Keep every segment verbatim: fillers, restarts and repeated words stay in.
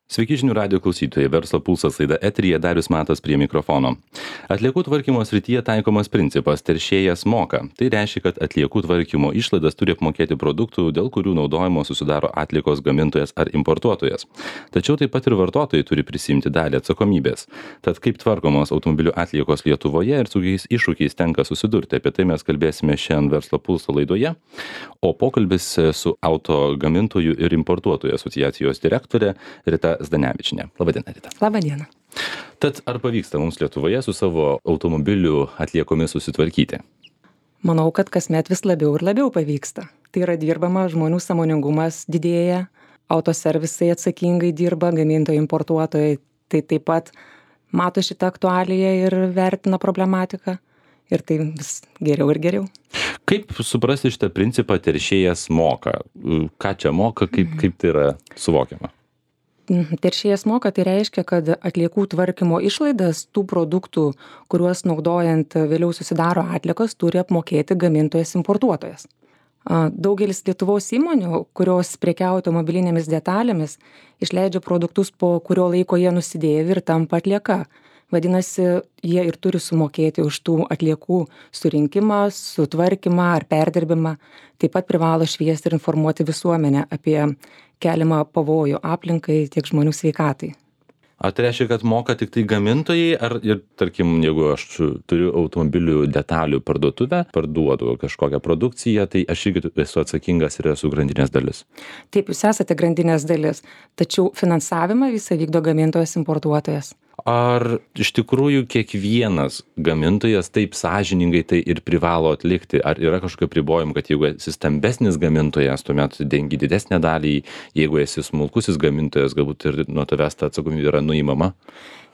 Sveiki žinių radijo klausytojai, Verslo pulsas laida eteryje, Darius Matas prie mikrofono. Atliekų tvarkymo srityje taikomas principas teršėjas moka. Tai reiškia, kad atliekų tvarkymo išlaidas turi apmokėti produktų, dėl kurių naudojimo susidaro atliekos gamintojas ar importuotojas. Tačiau taip pat ir vartotojai turi prisimti dalį atsakomybės. Tad kaip tvarkomos automobilių atliekos Lietuvoje ir su kokiais iššūkiais tenka susidurti, apie tai mes kalbėsime šiandien Verslo pulso laidoje. O pokalbis su auto gamintojų ir importuotojų asociacijos direktorė Rita Zdanevičienė. Labadiena, Rita. Labadiena. Tad ar pavyksta mums Lietuvoje su savo automobilių atliekomis susitvarkyti? Manau, kad kasmet vis labiau ir labiau pavyksta. Tai yra dirbama, žmonių sąmoningumas didėja, autoservisai atsakingai dirba, gamintojai, importuotojai. Tai taip pat mato šitą aktualiją ir vertina problematiką. Ir tai vis geriau ir geriau. Kaip suprasti šitą principą teršėjas moka? Ką čia moka, kaip, kaip tai yra suvokiama? Teršėjas moka, tai reiškia, kad atliekų tvarkymo išlaidas tų produktų, kuriuos naudojant vėliau susidaro atliekos, turi apmokėti gamintojas importuotojas. Daugelis Lietuvos įmonių, kurios prekiauja automobilinėmis detalėmis, išleidžia produktus, po kurio laiko jie nusidėvi ir tampa atlieka. Vadinasi, jie ir turi sumokėti už tų atliekų surinkimą, sutvarkymą ar perdirbimą. Taip pat privalo šviesti ir informuoti visuomenę apie keliamą pavojų aplinkai tiek žmonių sveikatai. Ar tai reiškia, kad moka tik tai gamintojai, ar ir, tarkim, jeigu aš turiu automobilių detalių parduotuvę, parduodu kažkokią produkciją, tai aš irgi esu atsakingas ir esu grandinės dalis? Taip, jūs esate grandinės dalis, tačiau finansavimą visą vykdo gamintojas importuotojas. Ar iš tikrųjų kiekvienas gamintojas taip sąžiningai tai ir privalo atlikti? Ar yra kažkokie apribojimai, kad jeigu esi stambesnis gamintojas, tuomet dengi didesnę dalį, jeigu esi smulkusis gamintojas, galbūt ir nuo tavęs ta atsakomybė yra nuimama?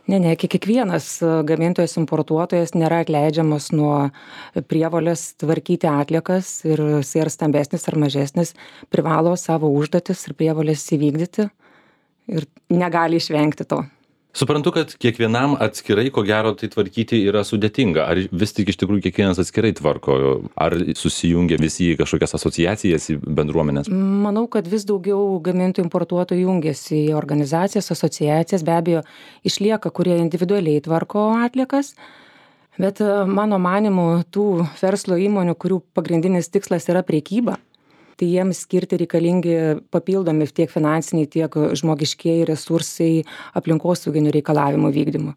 Ne, ne, kiekvienas gamintojas importuotojas nėra atleidžiamas nuo prievolės tvarkyti atliekas ir jis ar stambesnis ar mažesnis privalo savo užduotis ir prievolės įvykdyti ir negali išvengti to. Suprantu, kad kiekvienam atskirai, ko gero, tai tvarkyti yra sudėtinga. Ar vis tik iš tikrųjų kiekvienas atskirai tvarko? Ar susijungia visi į kažkokias asociacijas, į bendruomenės? Manau, kad vis daugiau gamintojų importuotojų jungiasi į organizacijas, asociacijas. Be abejo, išlieka, kurie individualiai tvarko atliekas. Bet mano manymu, tų verslo įmonių, kurių pagrindinis tikslas yra prekyba, tai jiems skirti reikalingi papildomi tiek finansiniai, tiek žmogiškieji resursai aplinkosauginių reikalavimų vykdymui.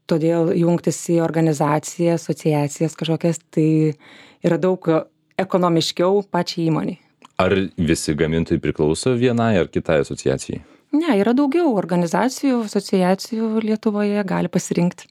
Todėl jungtis į organizaciją, asociacijas kažkokias, tai yra daug ekonomiškiau pačiai įmoniai. Ar visi gamintojai priklauso vienai ar kitai asociacijai? Ne, yra daugiau organizacijų, asociacijų Lietuvoje, gali pasirinkti.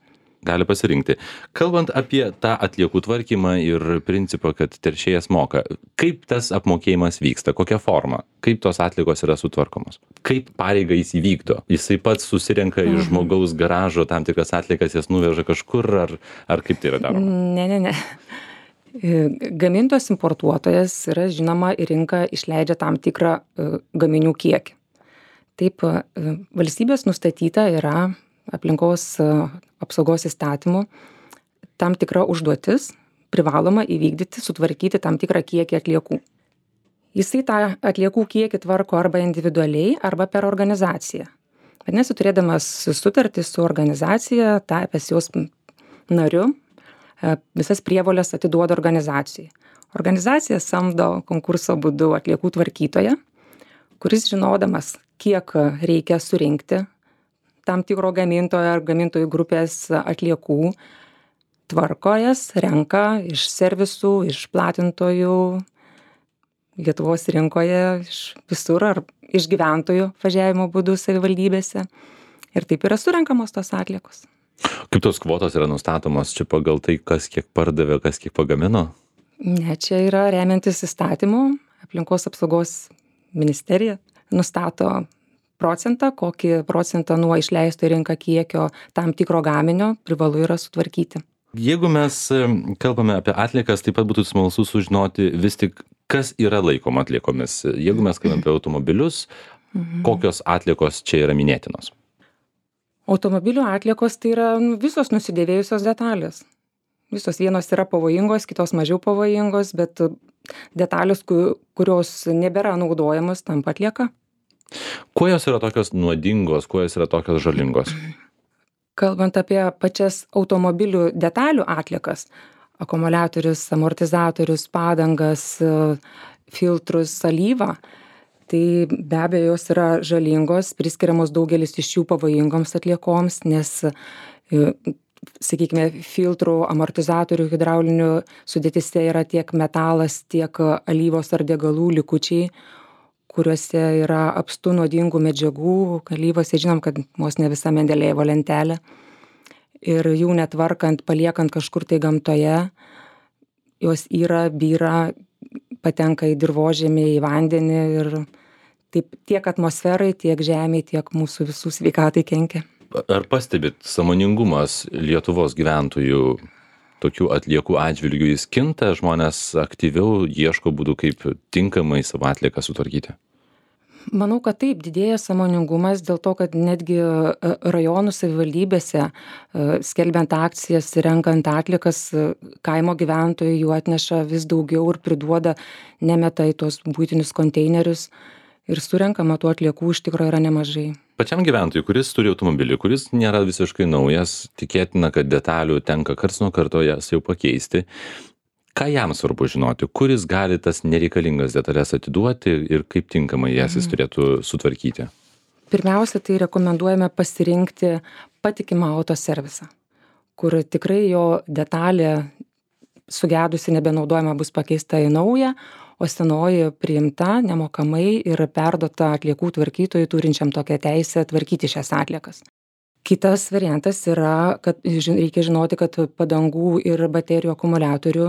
Gali pasirinkti. Kalbant apie tą atliekų tvarkymą ir principą, kad teršėjas moka, kaip tas apmokėjimas vyksta, kokia forma, kaip tos atliekos yra sutvarkomos, kaip pareigą jis įvykdo, jisai pats susirenka mhm. iš žmogaus garažo tam tikras atliekas, jas nuveža kažkur, ar, ar kaip tai yra daroma? Ne, ne, ne. Gamintojas importuotojas yra žinoma į rinką išleidžia tam tikrą gaminių kiekį. Taip, valstybės nustatyta yra aplinkos apsaugos įstatymų tam tikra užduotis privaloma įvykdyti, sutvarkyti tam tikrą kiekį atliekų. Jisai tą atliekų kiekį tvarko arba individualiai, arba per organizaciją. Vadinasi, turėdamas sutartį su organizacija, tapęs jos nariu, visas prievolės atiduoda organizacijai. Organizacija samdo konkurso būdu atliekų tvarkytoją, kuris žinodamas, kiek reikia surinkti tam tikro gamintojo ar gamintojų grupės atliekų, tvarko jas, renka iš servisų, iš platintojų, Lietuvos rinkoje, iš visur ar iš gyventojų važiavimo būdų savivaldybėse. Ir taip yra surenkamos tos atliekos. Kaip tos kvotos yra nustatomos? Čia pagal tai, kas kiek pardavė, kas kiek pagamino? Ne, čia yra remiantis įstatymu, aplinkos apsaugos ministerija nustato procentą, kokį procentą nuo išleisto į rinką kiekio tam tikro gaminio privalu yra sutvarkyti. Jeigu mes kalbame apie atliekas, taip pat būtų smalsu sužinoti vis tik, kas yra laikoma atliekomis. Jeigu mes kalbame apie automobilius, mhm. kokios atliekos čia yra minėtinos? Automobilių atliekos tai yra visos nusidėvėjusios detalės. Visos vienos yra pavojingos, kitos mažiau pavojingos, bet detalės, kurios nebėra naudojamos, tampa atlieka. Kuo jos yra tokios nuodingos, kuo jos yra tokios žalingos? Kalbant apie pačias automobilių detalių atliekas, akumuliatorius, amortizatorius, padangas, filtrus, alyvą, tai be abejo jos yra žalingos, priskiriamos daugelis iš jų pavojingoms atliekoms, nes, sakykime, filtrų, amortizatorių, hidraulinių sudėtyse yra tiek metalas, tiek alyvos ar degalų likučiai, kuriuose yra apstu nuodingų medžiagų. Alyvose žinom, kad vos ne visa Mendelėjevo lentelė. Ir jų netvarkant, paliekant kažkur tai gamtoje, jos yra, byra, patenka į dirvožemį, į vandenį ir taip tiek atmosferai, tiek žemei, tiek mūsų visų sveikatai kenkia. Ar pastebit sąmoningumas Lietuvos gyventojų tokių atliekų atžvilgių jis kinta, žmonės aktyviau ieško būdų, kaip tinkamai savo atlieką sutvarkyti? Manau, kad taip, didėja sąmoningumas dėl to, kad netgi rajonų savivaldybėse, skelbiant akcijas, renkant atliekas, kaimo gyventojai jų atneša vis daugiau ir priduoda, nemeta į tuos buitinius konteinerius ir surenkama tų atliekų iš tikrųjų yra nemažai. Pačiam gyventojui, kuris turi automobilį, kuris nėra visiškai naujas, tikėtina, kad detalių tenka karts nuo karto jas jau pakeisti. Ką jam svarbu žinoti, kuris gali tas nereikalingas detalės atiduoti ir kaip tinkamai jas jis turėtų sutvarkyti? Pirmiausia, tai rekomenduojame pasirinkti patikimą autoservisą, kur tikrai jo detalė sugedusi nebenaudojama bus pakeista į naują, o senoji priimta nemokamai ir perduota atliekų tvarkytojui turinčiam tokią teisę tvarkyti šias atliekas. Kitas variantas yra, kad reikia žinoti, kad padangų ir baterijų akumuliatorių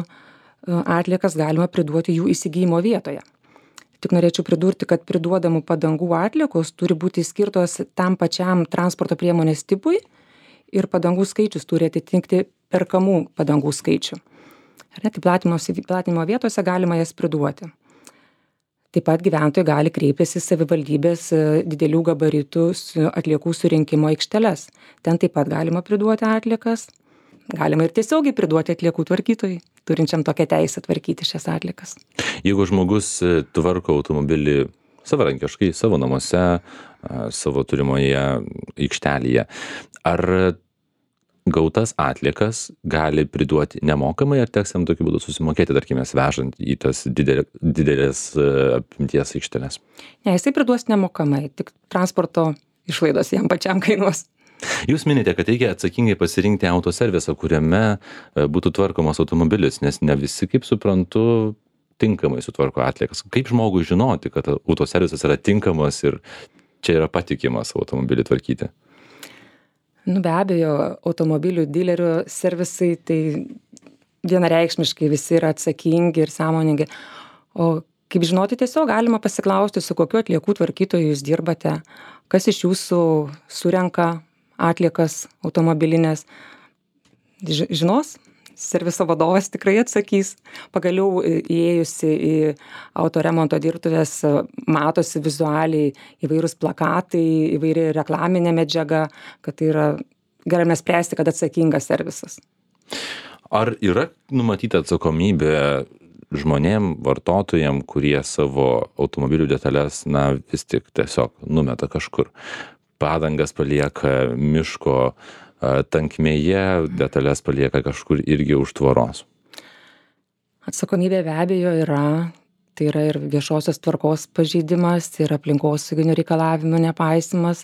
atliekas galima priduoti jų įsigijimo vietoje. Tik norėčiau pridurti, kad priduodamų padangų atliekos turi būti skirtos tam pačiam transporto priemonės tipui ir padangų skaičius turi atitikti perkamų padangų skaičių. Ar ne, tai platinimo vietose galima jas priduoti. Taip pat gyventojai gali kreiptis į savivaldybės didelių gabaritų atliekų surinkimo aikšteles. Ten taip pat galima priduoti atliekas. Galima ir tiesiogiai priduoti atliekų tvarkytojui, turinčiam tokią teisę tvarkyti šias atliekas. Jeigu žmogus tvarko automobilį savarankiškai, savo namuose, savo turimoje aikštelėje, ar gautas atliekas gali priduoti nemokamai, ar teks jam tokiu būdu susimokėti, tarkime, vežant į tas didelė, didelės apimties aikšteles? Ne, jisai priduos nemokamai, tik transporto išlaidos jam pačiam kainuos. Jūs minite, kad reikia atsakingai pasirinkti autoservisą, kuriame būtų tvarkomas automobilis, nes ne visi, kaip suprantu, tinkamai sutvarko atliekas. Kaip žmogui žinoti, kad autoservisas yra tinkamas ir čia yra patikimas automobilį tvarkyti? Nu, be abejo, automobilių dilerių servisai, tai vienareikšmiškai visi yra atsakingi ir sąmoningi. O kaip žinoti, tiesiog galima pasiklausti, su kokiu atliekų tvarkytoju jūs dirbate, kas iš jūsų surenka atliekas automobilinės. Žinos, serviso vadovas tikrai atsakys. Pagaliau įėjusi į autoremonto dirbtuves matosi vizualiai įvairūs plakatai, įvairi reklaminė medžiaga, kad tai yra, galime spręsti, kad atsakingas servisas. Ar yra numatyta atsakomybė žmonėm, vartotojam, kurie savo automobilių detalės, na, vis tik tiesiog numeta kažkur? Padangas palieka miško tankmėje, detalės palieka kažkur irgi už tvoros. Atsakomybė be abejo yra, tai yra ir viešosios tvarkos pažeidimas, ir aplinkosauginių reikalavimų nepaisimas.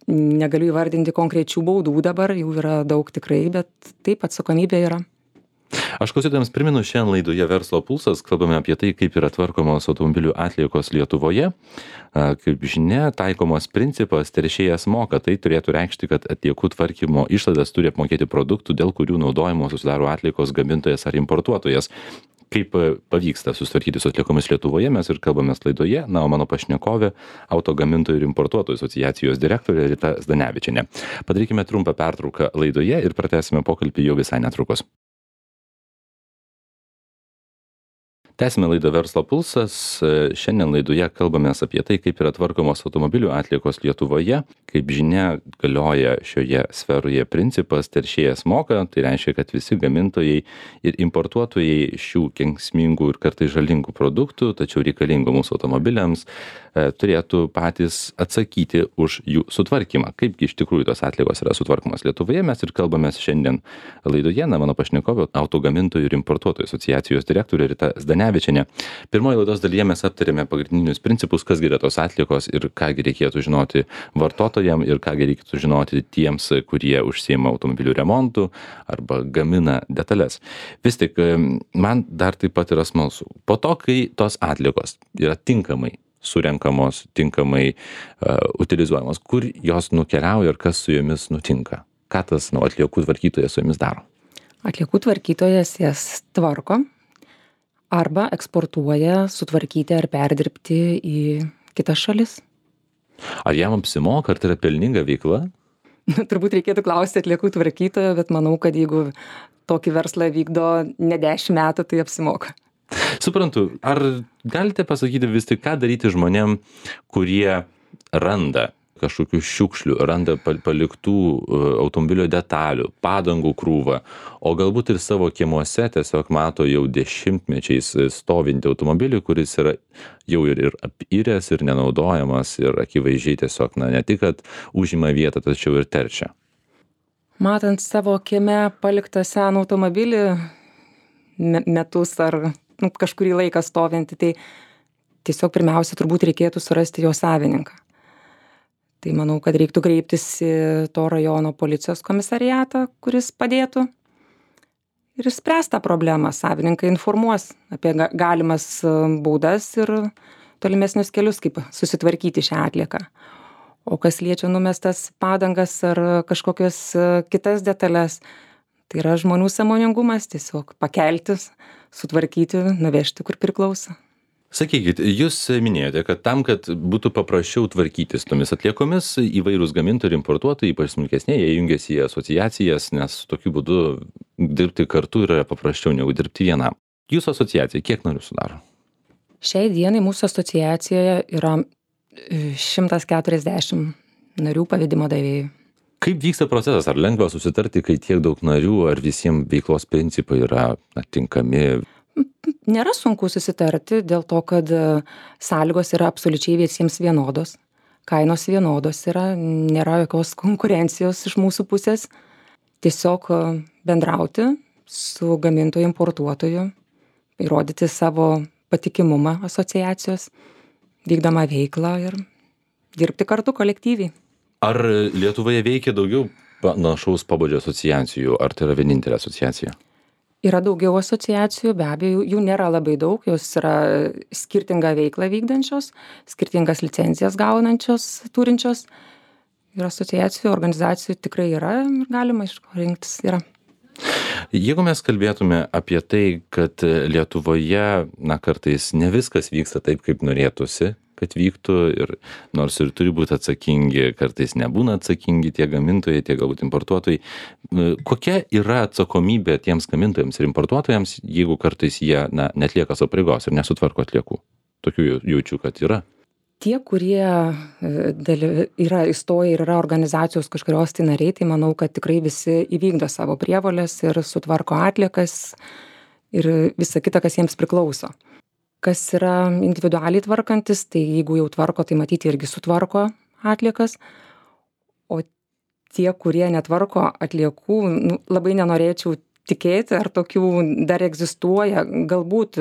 Negaliu įvardinti konkrečių baudų dabar, jų yra daug tikrai, bet taip, atsakomybė yra. Aš klausytojams primenu, šiandien laidoje Verslo pulsas kalbame apie tai, kaip yra tvarkomos automobilių atliekos Lietuvoje. Kaip žinia, taikomas principas teršėjas moka. Tai turėtų reikšti, kad atliekų tvarkymo išlaidas turi apmokėti produktų, dėl kurių naudojimo susidaro atliekos gamintojas ar importuotojas. Kaip pavyksta susitvarkyti su atliekomis Lietuvoje, mes ir kalbamės laidoje. Na, o mano pašnekovė, auto gamintojų ir importuotojų asociacijos direktorė Rita Zdanevičienė. Padarykime trumpą pertrauką laidoje ir pratęsime pokalbį jau visai netrukus. Tęsime laidą Verslo pulsas. Šiandien laidoje kalbamės apie tai, kaip yra tvarkomos automobilių atliekos Lietuvoje. Kaip žinia, galioja šioje sferoje principas teršėjas moka. Tai reiškia, kad visi gamintojai ir importuotojai šių kenksmingų ir kartais žalingų produktų, tačiau reikalingų mūsų automobiliams, turėtų patys atsakyti už jų sutvarkymą. Kaipgi iš tikrųjų tos atliekos yra sutvarkomos Lietuvoje, mes ir kalbamės šiandien laidoje. Na, mano pašnekovė, autogamintojų ir importuotojų asociacijos direktorė Rita Zdanevičienė. Pirmoje laidos dalyje mes aptarėme pagrindinius principus, kas yra tos atliekos ir kągi reikėtų žinoti vartotojams ir kągi reikėtų žinoti tiems, kurie užsiima automobilių remontu arba gamina detalės. Vis tik, man dar taip pat yra smalsu. Po to, kai tos atliekos yra tinkamai surenkamos, tinkamai uh, utilizuojamos, kur jos nukeliauja ir kas su jomis nutinka? Ką tas nu, atliekų tvarkytojas su jomis daro? Atliekų tvarkytojas jas tvarko arba eksportuoja sutvarkyti ar perdirbti į kitas šalis. Ar jam apsimoka, ar tai yra pelninga veikla? Turbūt reikėtų klausti atliekų tvarkytojo, bet manau, kad jeigu tokį verslą vykdo ne dešimt metų, tai apsimoka. Suprantu, ar galite pasakyti vis tik, ką daryti žmonėm, kurie randa kažkokių šiukšlių, randa paliktų automobilio detalių, padangų krūvą, o galbūt ir savo kiemuose tiesiog mato jau dešimtmečiais stovintį automobilį, kuris yra jau ir, ir apiręs, ir nenaudojamas, ir akivaizdžiai tiesiog, na, ne tik, kad užima vietą, tačiau ir teršia. Matant savo kieme paliktą seną automobilį metus ar nu, kažkurį laiką stovintį, tai tiesiog pirmiausia turbūt reikėtų surasti jo savininką. Tai manau, kad reiktų kreiptis į to rajono policijos komisariatą, kuris padėtų ir išspręs tą problemą. Savininkai informuos apie galimas baudas ir tolimesnius kelius, kaip susitvarkyti šią atlieką. O kas liečia numestas padangas ar kažkokias kitas detalės, tai yra žmonių sąmoningumas, tiesiog pakeltis, sutvarkyti, nuvežti, kur priklauso. Sakykit, jūs minėjote, kad tam, kad būtų paprasčiau tvarkytis tomis atliekomis, įvairūs gamintojai ir importuotojai, ypač smulkesnieji, jie jungiasi į asociacijas, nes tokiu būdu dirbti kartu yra paprasčiau negu dirbti vienam. Jūsų asociacija kiek narių sudaro? Šiai dienai mūsų asociacijoje yra šimtas keturiasdešimt narių pavedimo davėjų. Kaip vyksta procesas? Ar lengva susitarti, kai tiek daug narių, ar visiems veiklos principai yra na, tinkami? Nėra sunku susitarti dėl to, kad sąlygos yra absoliučiai visiems vienodos, kainos vienodos yra, nėra jokios konkurencijos iš mūsų pusės. Tiesiog bendrauti su gamintoju, importuotoju, įrodyti savo patikimumą asociacijos, vykdomą veiklą ir dirbti kartu kolektyviai. Ar Lietuvoje veikia daugiau panašaus pobūdžio asociacijų, ar tai yra vienintelė asociacija? Yra daugiau asociacijų, be abejo, jų nėra labai daug, jos yra skirtingą veiklą vykdančios, skirtingas licencijas gaunančios, turinčios. Ir asociacijų, organizacijų tikrai yra ir galima iš ko rinktis yra. Jeigu mes kalbėtume apie tai, kad Lietuvoje, na, kartais ne viskas vyksta taip, kaip norėtųsi, kad vyktų ir nors ir turi būti atsakingi, kartais nebūna atsakingi tie gamintojai, tie galbūt importuotojai. Kokia yra atsakomybė tiems gamintojams ir importuotojams, jeigu kartais jie na, netlieka savo pareigos ir nesutvarko atliekų? Tokių jaučiu, kad yra. Tie, kurie yra įstoję ir yra organizacijos kažkurios tai nariai, tai manau, kad tikrai visi įvykdo savo prievolės ir sutvarko atliekas ir visa kita, kas jiems priklauso. Kas yra individualiai tvarkantis, tai jeigu jau tvarko, tai matyti irgi sutvarko atliekas. O tie, kurie netvarko atliekų, nu, labai nenorėčiau tikėti, ar tokių dar egzistuoja. Galbūt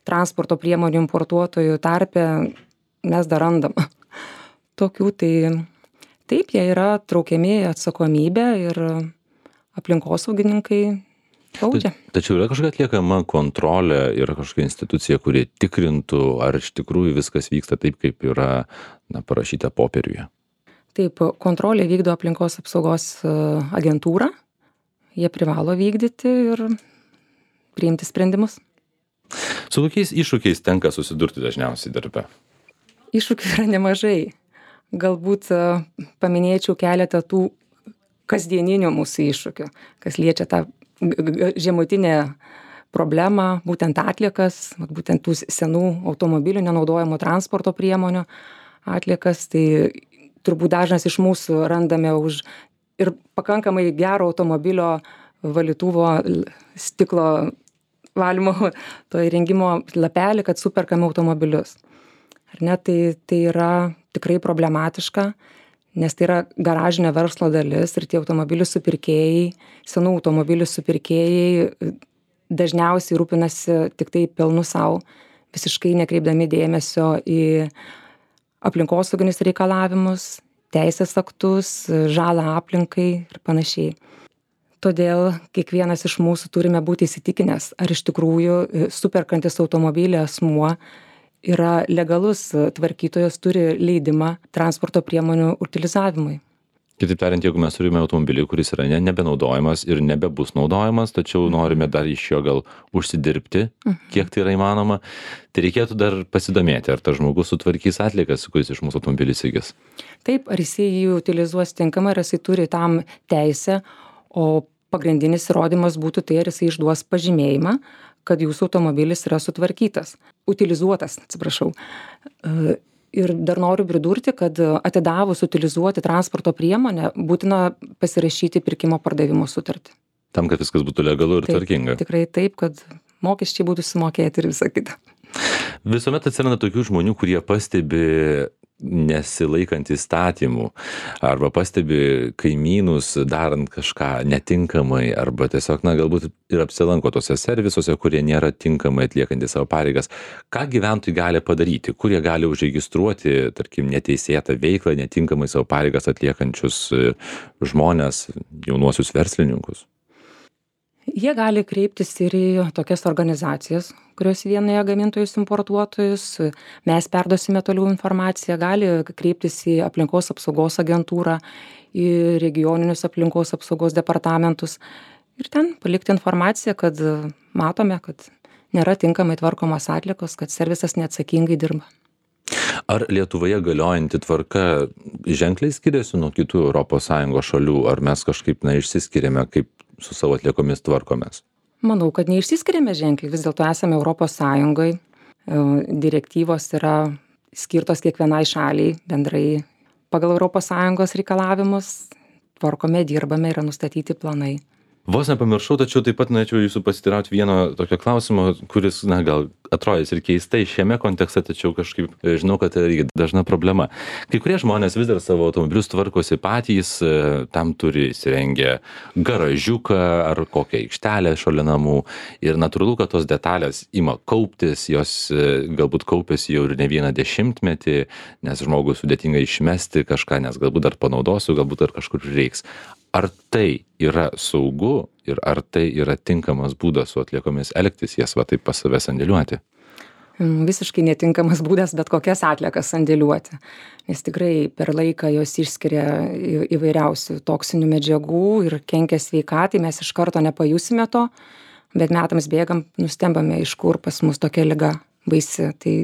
transporto priemonių importuotojų tarpe mes dar randam. Tokių tai taip, jie yra traukiami atsakomybę ir aplinkosaugininkai baudžia. Tačiau yra kažkokia atliekama kontrolė, yra kažkokia institucija, kuri tikrintų, ar iš tikrųjų viskas vyksta taip, kaip yra na, parašyta popieriuje. Taip, kontrolė vykdo aplinkos apsaugos agentūra. Jie privalo vykdyti ir priimti sprendimus. Su kokiais iššūkiais tenka susidurti dažniausiai darbe? Iššūkių yra nemažai. Galbūt paminėčiau keletą tų kasdieninių mūsų iššūkių, kas liečia tą žemutinę problemą, būtent atliekas, būtent tų senų automobilių, nenaudojamų transporto priemonių atliekas. Tai turbūt dažnas iš mūsų randame už ir pakankamai gero automobilio valytuvo stiklo valymo to įrengimo lapelį, kad superkame automobilius. Ar ne, tai, tai yra tikrai problematiška, nes tai yra garažinio verslo dalis ir tie automobilių supirkėjai, senų automobilių supirkėjai dažniausiai rūpinasi tik tai pelnu savo, visiškai nekreipdami dėmesio į aplinkosauginius reikalavimus, teisės aktus, žalą aplinkai ir panašiai. Todėl kiekvienas iš mūsų turime būti įsitikinęs, ar iš tikrųjų superkantis automobilį asmuo yra legalus tvarkytojas, turi leidimą transporto priemonių utilizavimui. Kitaip tariant, jeigu mes turime automobilį, kuris yra ne, nebenaudojamas ir nebebus naudojamas, tačiau norime dar iš jo gal užsidirbti, kiek tai yra įmanoma, tai reikėtų dar pasidomėti, ar tas žmogus sutvarkys atliekas, kuris iš mūsų automobilį įsigis. Taip, ar jisai jį utilizuos tinkamai, ar jisai turi tam teisę, o pagrindinis įrodymas būtų tai, ar jisai išduos pažymėjimą, kad jūsų automobilis yra sutvarkytas, utilizuotas, atsiprašau. Ir dar noriu pridurti, kad atidavus utilizuoti transporto priemonę, būtina pasirašyti pirkimo pardavimo sutartį. Tam, kad viskas būtų legalu ir taip, tvarkinga. Tikrai taip, kad mokesčiai būtų sumokėti ir visa kita. Visuomet atsiranda tokių žmonių, kurie pastebi nesilaikant įstatymų arba pastebi kaimynus darant kažką netinkamai arba tiesiog, na, galbūt ir apsilanko tose servisuose, kurie nėra tinkamai atliekantys savo pareigas. Ką gyventojai gali padaryti? Kur jie gali užregistruoti, tarkim, neteisėtą veiklą, netinkamai savo pareigas atliekančius žmonės, jaunuosius verslininkus? Jie gali kreiptis ir į tokias organizacijas, kurios vienyje gamintojus importuotojus. Mes perduosime toliau informaciją. Gali kreiptis į aplinkos apsaugos agentūrą, į regioninius aplinkos apsaugos departamentus ir ten palikti informaciją, kad matome, kad nėra tinkamai tvarkomos atliekos, kad servisas neatsakingai dirba. Ar Lietuvoje galiojanti tvarka ženkliai skiriasi nuo kitų Europos Sąjungos šalių, ar mes kažkaip, na, išsiskiriame, kaip su savo atliekomis tvarkomės? Manau, kad neišsiskiriame ženkliai, vis dėlto esame Europos Sąjungai, direktyvos yra skirtos kiekvienai šaliai bendrai pagal Europos Sąjungos reikalavimus, tvarkome, dirbame, yra nustatyti planai. Vos nepamiršau, tačiau taip pat norėčiau jūsų pasiteirauti vieno tokio klausimo, kuris, na, gal atrodys ir keistai šiame kontekste, tačiau kažkaip žinau, kad tai yra dažna problema. Kai kurie žmonės vis dar savo automobilius tvarkosi patys, tam turi įsirengę garažiuką ar kokią aikštelę šalia namų ir natūralu, kad tos detalės ima kauptis, jos galbūt kaupiasi jau ir ne vieną dešimtmetį, nes žmogui sudėtinga išmesti kažką, nes galbūt dar panaudosiu, galbūt dar kažkur reiks. Ar tai yra saugu ir ar tai yra tinkamas būdas su atliekomis elgtis, jas va taip pas save sandėliuoti? Visiškai netinkamas būdas bet kokias atliekas sandėliuoti, nes tikrai per laiką jos išskiria įvairiausių toksinių medžiagų ir kenkia sveikatai, mes iš karto nepajusime to, bet metams bėgam, nustembame, iš kur pas mus tokia liga baisi. Tai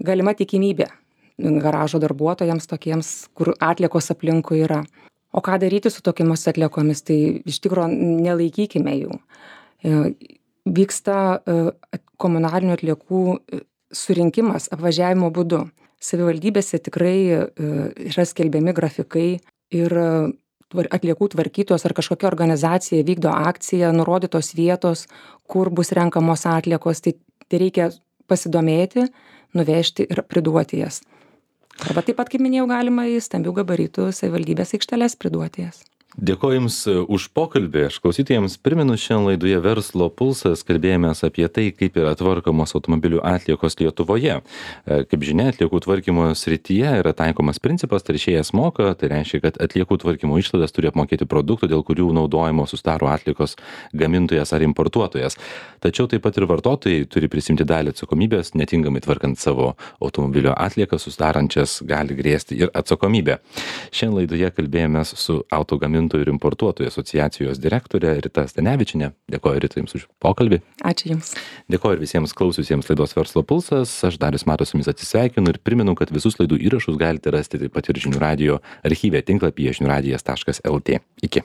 galima tikimybė garažo darbuotojams tokiems, kur atliekos aplinkui yra. O ką daryti su tokiamis atliekomis, tai iš tikrųjų nelaikykime jų. Vyksta komunalinių atliekų surinkimas apvažiavimo būdu. Savivaldybėse tikrai yra skelbiami grafikai ir atliekų tvarkytojos ar kažkokia organizacija vykdo akciją, nurodytos vietos, kur bus renkamos atliekos, tai, tai reikia pasidomėti, nuvežti ir priduoti jas. Arba taip pat, kaip minėjau, galima į stambių gabaritų savivaldybės aikšteles priduoti jas. Dėkoju Jums už pokalbį. Aš klausytojams primenu, šiandien laidoje Verslo pulsas kalbėjomės apie tai, kaip yra tvarkomos automobilių atliekos Lietuvoje. Kaip žinia, atliekų tvarkymo srityje yra taikomas principas teršėjas moka, tai reiškia, kad atliekų tvarkymo išlaidas turi apmokėti produktų, dėl kurių naudojimo susidaro atliekos gamintojas ar importuotojas. Tačiau taip pat ir vartotojai turi prisimti dalį atsakomybės, netinkamai tvarkant savo automobilio atliekas susidarančias gali grėsti ir atsakomybė. Šiandien laidoje kalbėjomės su autogamintojų ir importuotojų asociacijos direktorė Rita Stanevičienė. Dėkoju, Rita, Jums už pokalbį. Ačiū Jums. Dėkoju ir visiems klausiusiems laidos Verslo pulsas. Aš Darius Matas su Jumis atsisveikinu ir primenu, kad visus laidų įrašus galite rasti taip pat ir žinių radijo archyve tinklapyje žinių radijas taškas lt. Iki.